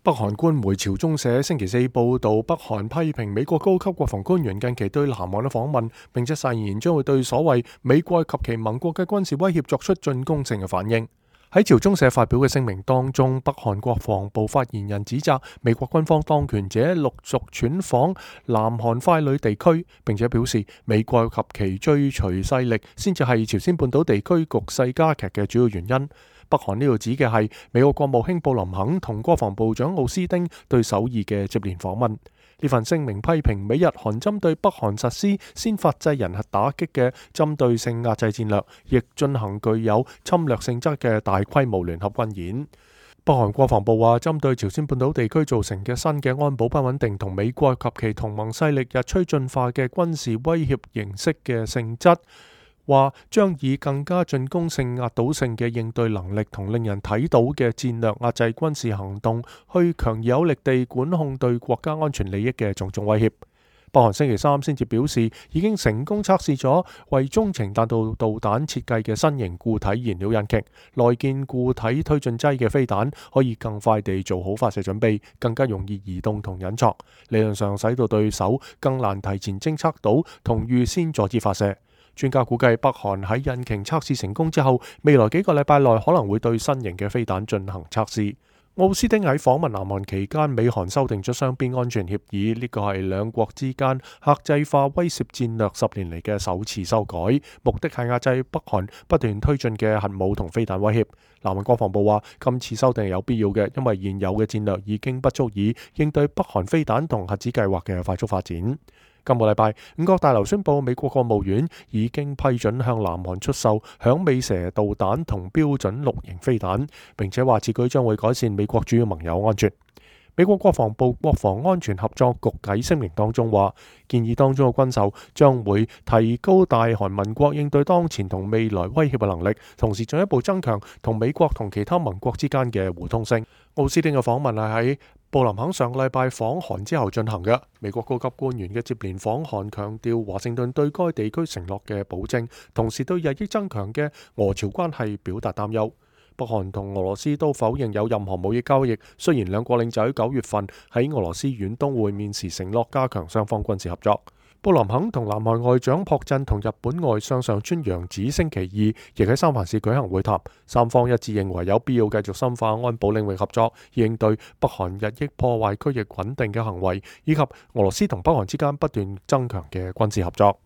北韓官媒朝中社星期四報導，北韓批評美國高級國防官員近期對南韓嘅訪問，並且誓言將會對所謂美國及其盟國嘅軍事威脅作出進攻性嘅反應。喺朝中社發表嘅聲明當中，北韓國防部發言人指責美國軍方當權者陸續竄訪南韓傀儡地區，並且表示美國及其追隨勢力先至係朝鮮半島地區局勢加劇嘅主要原因。北韓呢度指嘅係美國國務卿布林肯同國防部長奧斯汀對首爾嘅接連訪問。呢份聲明批評美日韓針對北韓實施先發制人核打擊嘅針對性壓制戰略，亦進行具有侵略性質嘅大規模聯合軍演。北韓國防部話，針對朝鮮半島地區造成嘅新嘅安保不穩定同美國及其同盟勢力日趨進化嘅軍事威脅形式嘅性質，話將以更加進攻性、壓倒性嘅應對能力同令人睇到嘅戰略壓制軍事行動，去強而有力地管控對國家安全利益嘅種種威脅。北韓星期三先至表示，已經成功測試咗為中程彈道導彈設計嘅新型固體燃料引擎，內建固體推進劑嘅飛彈可以更快地做好發射準備，更加容易移動同隱藏，理論上使到對手更難提前偵測到同預先阻止發射。專家估計，北韓喺引擎測試成功之後，未來幾個禮拜內可能會對新型嘅飛彈進行測試。奧斯汀喺訪問南韓期間，美韓修訂咗雙邊安全協議，呢個係兩國之間客製化威懾戰略10年嚟嘅首次修改，目的係壓制北韓不斷推進嘅核武同飛彈威脅。南韓國防部話，今次修訂係有必要嘅，因為現有嘅戰略已經不足以應對北韓飛彈同核子計劃嘅快速發展。今個禮拜，五角大樓宣布美國國務院已經批准向南韓出售響尾蛇導彈同標準6型飛彈，並且話此舉將會改善美國主要盟友安全。美國國防部國防安全合作局喺聲明當中話，建議當中嘅軍售將會提高大韓盟國應對當前同未來威脅嘅能力，同時進一步增強同美國同其他盟國之間嘅互通性。奧斯汀嘅訪問係喺布林肯上個禮拜訪韓之後進行嘅。美國高級官員嘅接連訪韓強調華盛頓對該地區承諾嘅保證，同時對日益增強嘅俄朝關係表達擔憂。北韓同俄羅斯都否認有任何貿易交易，雖然兩國領袖喺9月份喺俄羅斯遠東會面時承諾加強雙方軍事合作。布林肯同南韓外長朴振同日本外相上川陽子星期二亦喺三藩市舉行會談，三方一致認為有必要繼續深化安保領域合作，應對北韓日益破壞區域穩定嘅行為，以及俄羅斯同北韓之間不斷增強嘅軍事合作。